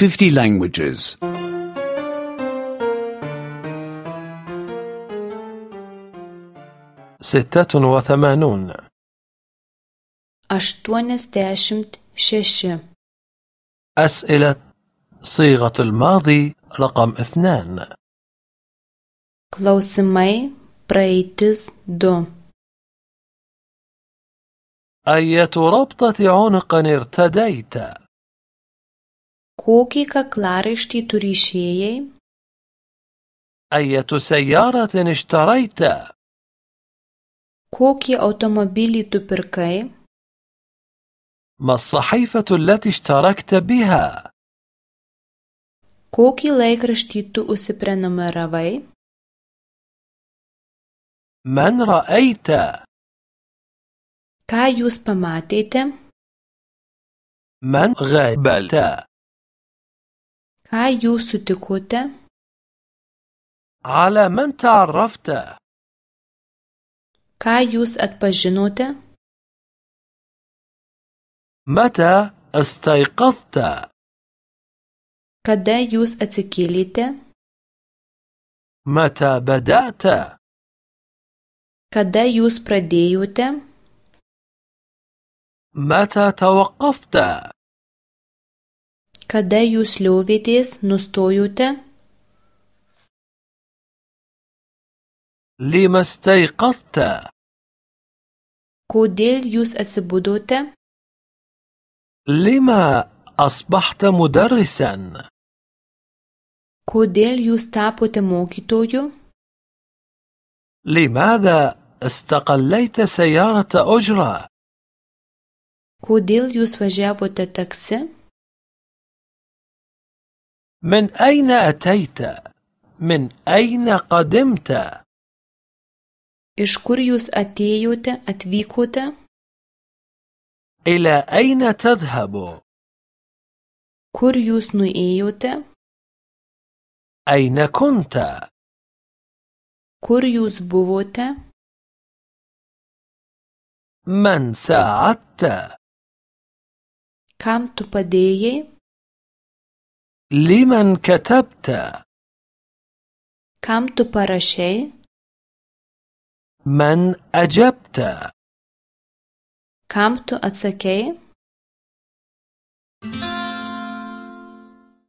50 languages. 86 86 أسئلة صيغة الماضي رقم 2. Klausimai praeitis 2. أية ربطة عنق ارتديت؟ Kokį kaklaraištį tu ryšėjai? أية سيارة اشتريت؟ Kokį automobilį tu pirkai? ما الصحيفة التي اشتركت بها؟ Kokį laikraštį tu užsiprenumeravai? من رأيت؟ Ką jūs pamatėte? من قابلت؟ Ką jūs sutikote? على من تعرفت؟ Ką jūs atpažinote? متى استيقظت؟ Kada jūs atsikėlėte? متى بدأت؟ Kada jūs pradėjote? متى توقفت؟ Kada jūs liovėtės, nustojote? لما استيقظت؟ Kodėl jūs atsibudote? لما أصبحت مدرسا؟ Kodėl jūs tapote mokytoju? لماذا استقليت سيارة أجرة؟ Kodėl jūs važiavote taksi? من أين أتيت؟ من أين قدمت؟ Iš kur jūs atėjote, atvykote? إلى أين تذهب؟ Kur jūs nuėjote? أين كنت؟ Kur jūs buvote? من ساعدت؟ Kam tu padėjai? لمن كتبت؟ Kam tu parašei? من أجبت؟ Kam tu atsakei?